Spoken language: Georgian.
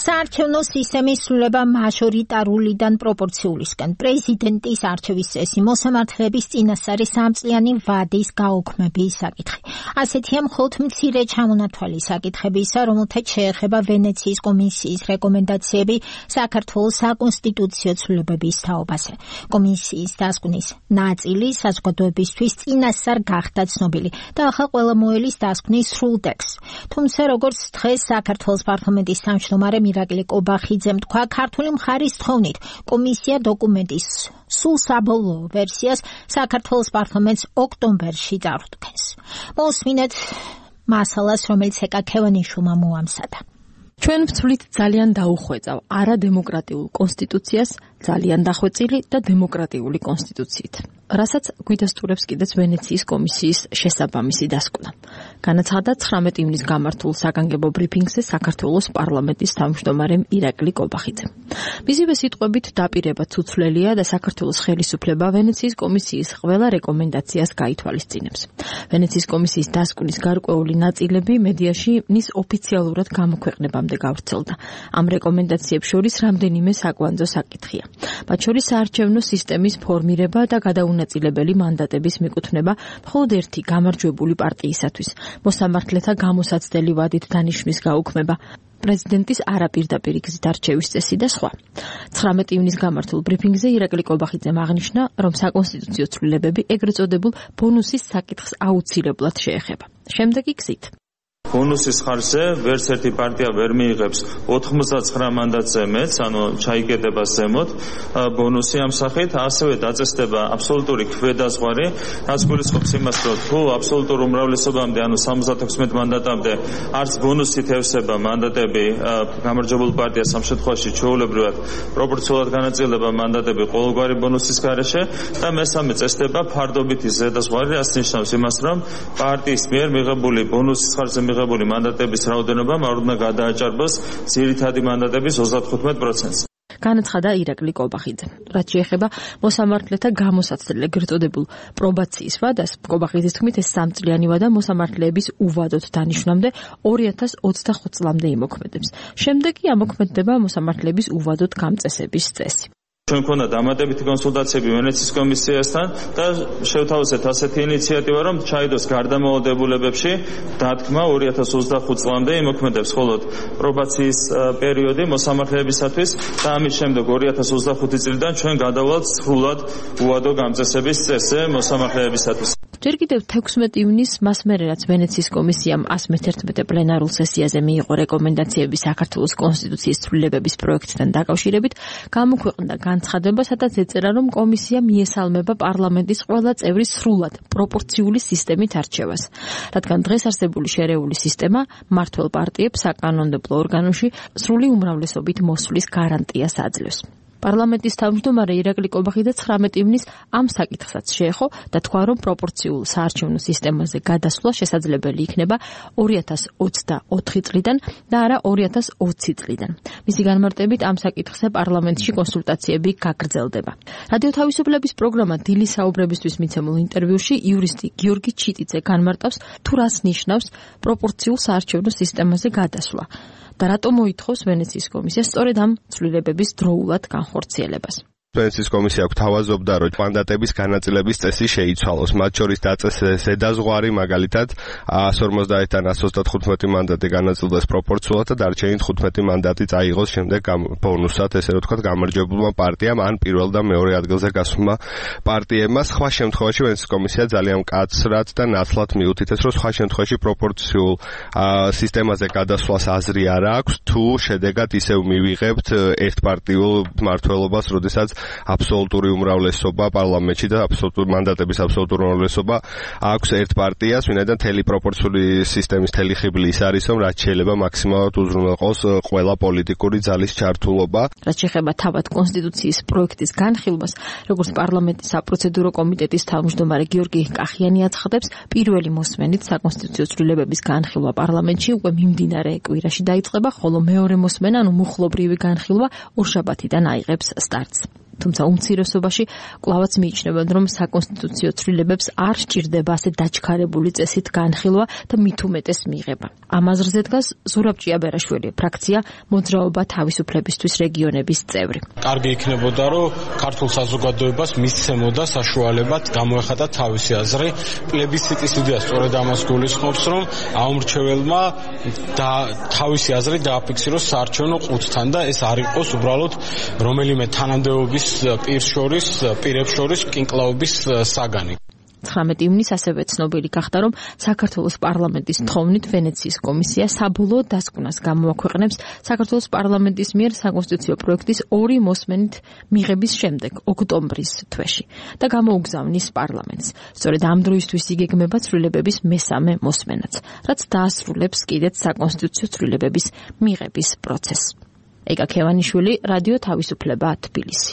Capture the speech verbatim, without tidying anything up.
საარჩევნო სისტემის სრულება მაჟორიტარულიდან პროპორციულისკენ. პრეზიდენტის არჩევის წესი მოსამართლეების წინასწარი სამწლიანი ვადის გაუქმების საკითხი. ასეთია მხოლოდ მცირე ჩამონათვალი საკითხებისა, რომელთაც შეეხება ვენეციის კომისიის რეკომენდაციები საქართველოს საკონსტიტუციო ცვლილებების თაობაზე. კომისიის დასკვნის ნაწილი საზოგადოებისთვის წინასწარ გახდა ცნობილი და ახლა ყველა მოელის დასკვნის სრულ ტექსტს. თუმცა როგორც დღეს საქართველოს პარლამენტის თავმჯდომარე მირაკლი კობახიძემ თქვა, ქართული მხარის თხოვნით კომისია დოკუმენტის სულ საბოლოო ვერსიას საქართველოს პარლამენტს ოქტომბერში წარუდგენს. მოსმინეთ მასალას, რომელიც ეკა ქევანიშვილმა მოამზადა. ჩვენ ვცვლით ძალიან დაუხვეწავ არადემოკრატიულ კონსტიტუციას ძალიან დახვეწილი და დემოკრატიული კონსტიტუციით, რასაც გვიდასტურებს კიდეც ვენეციის კომისიის შესაბამისი დასკვნა. განაცხადა ცხრამეტი ივნის გამართულ საგანგებო ბრიფინგზე საქართველოს პარლამენტის თავმჯდომარემ ირაკლი კობახიძემ. მისივე სიტყვებით დაპირება ცუცვლელია და საქართველოს ხელისუფლება ვენეციის კომისიის ყველა რეკომენდაციას გაითვალისწინებს. ვენეციის კომისიის დასკვნის გარკვეული ნაწილები მედიაში მის ოფიციალურად გამოქვეყნებამდე გავრცელდა. ამ რეკომენდაციებს შორის რამდენიმე საკვანძო საკითხია. მათ შორის საარჩევნო სისტემის ფორმირება და გადაუნაწილებელი მანდატების მიკუთვნება მხოლოდ ერთი გამარჯვებული პარტიისათვის, მოსამართლეთა გამოსაცდელი ვადით დანიშვნის გაუქმება, პრეზიდენტის არაპირდაპირ გზით არჩევის წესი და სხვა. ცხრამეტი ივნის გამართულ ბრიფინგზე ირაკლი კობახიძემ აღნიშნა, რომ საკონსტიტუციო ცვლილებები ეგრეთ წოდებულ ბონუსის საკითხს აუცილებლად შეეხება. შემდეგი გზით. ბონუსის ხარჯზე ვერც ერთი პარტია ვერ მიიღებს ოთხმოცდაცხრა მანდატზე მეც, ანუ ჩაიკეტება ზემოთ ბონუსი ამ სახით, ასევე დაწესდება აბსოლუტური ქვედაზღვარი, რაც გულისხმობს იმას, რომ თუ აბსოლუტურ უმრავლესობამდე, ანუ სამოცდათექვსმეტ მანდატამდე არც ბონუსით ევსება მანდატები გამარჯვებულ პარტიას, ამ შემთხვევაში ჩვეულებრივად პროპორციულად განაწილდება მანდატები ყოველგვარი ბონუსის გარეშე და მესამე წესდება ფარდობითი ზედაზღვარი, რაც ნიშნავს იმას, რომ პარტიის მიერ მიღებული ბონუსის ხარჯზე მიღებული მანდატების რაოდენობა უნდა გადააჭარბოს ძირითადი მანდატების ოცდათხუთმეტ პროცენტს. განაცხადა ირაკლი კობახიძე. რაც შეეხება მოსამართლეთა გამოსაცდელ ეგრეთ წოდებულ პრობაციის ვადას, კობახიძის თქმით, ეს სამწლიანი ვადა მოსამართლეების უვადოდ დანიშვნამდე ორი ათას ოცდახუთ წლამდე იმოქმედებს. შემდეგ კი ამოქმედდება მოსამართლეების უვადოდ გამწესების წესი. ჩვენ ქონდა დამატებითი კონსულტაციები ვენეციის კომისიასთან და შევთავაზეთ ასეთი ინიციატივა, რომ ჩაიდოს გარდამავალდებულებებში დათქმა ორი ათას ოცდახუთ წლამდე იმოქმედებს მხოლოდ პრობაციის პერიოდი მოსამართლეებისათვის და ამის შემდეგ ორი ათას ოცდახუთი წლიდან ჩვენ გადავალთ სრულად უვადო გამწესების წესზე მოსამართლეებისათვის. ჯერ კიდევ თექვსმეტი ივნის მას მერე, რაც ვენეციის კომისიამ ასი მეთერთმეტე პლენარულ სესიაზე მიიღო რეკომენდაციები საქართველოს კონსტიტუციის ცვლილებების პროექტთან დაკავშირებით, გამოქვეყნდა განცხადება, სადაც ეწერა, რომ კომისია მიესალმება პარლამენტის ყველა წევრის სრულად პროპორციული სისტემით არჩევას, რადგან დღეს არსებული შერეული სისტემა მმართველ პარტიებს საკანონმდებლო ორგანოში სრული უმრავლესობით მოსვლის გარანტიას აძლევს. პარლამენტის თავმჯდომარე ირაკლი კობახიძე ცხრამეტი ივნის ამ საკითხსაც შეეხო და თქვა, რომ პროპორციულ საარჩევნო სისტემაზე გადასვლა შესაძლებელი იქნება ორი ათას ოცდაოთხი წლიდან და არა ორი ათას ოცი წლიდან. მისი განმარტებით ამ საკითხზე პარლამენტში კონსულტაციები გაგრძელდება. რადიო თავისუფლების პროგრამა დილის საუბრებისთვის მიცემულ ინტერვიუში იურისტი გიორგი ჩიტიძე განმარტავს, თუ რას ნიშნავს პროპორციულ საარჩევნო სისტემაზე გადასვლა და რატომ მოითხოვს ვენეციის კომისიას სწორედ ამ ცვლილებების დროულად განხორციელებას. ვენეციის კომისია გვთავაზობდა, რომ მანდატების განაწილების წესი შეიცვალოს, მათ შორის დაწესეს ზედაზღვარი, მაგალითად εκατს ორმოცდაათიდან εκατს ოცდათხუთმეტი მანდატი განაწილდეს პროპორციულად და დარჩენილი თხუთმეტი მანდატი წაიღოს შემდეგ ბონუსად, ესე რომ ვთქვათ, გამარჯვებულმა პარტიამ ან პირველ და მეორე ადგილზე გასულმა პარტიებმა. სხვა შემთხვევაში ვენეციის კომისია ძალიან მკაცრად და ნათლად მიუთითებს, რომ სხვა შემთხვევაში პროპორციულ სისტემაზე გადასვლას აზრი არ აქვს, თუ შედეგად ისევ მივიღებთ ერთპარტიულ მმართველობას, როდესაც აბსოლუტური უმრავლესობა პარლამენტში და აბსოლუტური მანდატების აბსოლუტური უმრავლესობა აქვს ერთ პარტიას, ვინაიდან თელი პროპორციული სისტემის თელი ხიბლი ის არის, რომ რაც შეიძლება მაქსიმალურად უზრუნველყოს ყველა პოლიტიკური ძალის ჩართულობა. რაც შეეხება თავად კონსტიტუციის პროექტის განხილვას, როგორც პარლამენტის საპროცედურო კომიტეტის თავმჯდომარე გიორგი კახიანი აცხადებს, პირველი მოსმენით საკონსტიტუციო ცვლილებების განხილვა პარლამენტში უკვე მიმდინარე კვირაში დაიწყება, ხოლო მეორე მოსმენა, ანუ მუხლობრივი განხილვა ორშაბათიდან აიღებს სტარტს. თუმცა უმცირესობაში კვლავაც მიიჩნევენ, რომ საკონსტიტუციო ცვლილებებს არ სჭირდება ასე დაჩქარებული წესით განხილვა და მით უმეტეს მიღება. ამ აზრზე დგას ზურაბ ჭიაბერაშვილი, ფრაქცია მოძრაობა თავისუფლებისთვის რეგიონების წევრი. კარგი იქნებოდა, რომ ქართულ საზოგადოებას მისცემოდა საშუალებად გამოეხატა თავისი აზრი. პლებისციტის იდეა სწორედ ამას გულისხმობს, რომ აუმრჩეველმა და თავისი აზრი დააფიქსიროს საარჩევნო ყუთთან და ეს არ იყოს უბრალოდ რომელიმე თანამდებობის პირს შორის, პირებს შორის კინკლაობის საგანი. ცხრამეტი ივნისს ასევე ცნობილი გახდა, რომ საქართველოს პარლამენტის თხოვნით ვენეციის კომისია საბოლოო დასკვნას გამოაქვეყნებს საქართველოს პარლამენტის მიერ საკონსტიტუციო პროექტის ორი მოსმენით მიღების შემდეგ, ოქტომბრის თვეში და გამოუგზავნის პარლამენტს. სწორედ ამ დროისთვის იგეგმება ცვლილებების მესამე მოსმენაც, რაც დაასრულებს კიდეც საკონსტიტუციო ცვლილებების მიღების პროცესს. ეკა ქევანიშვილი, რადიო თავისუფლება, თბილისი.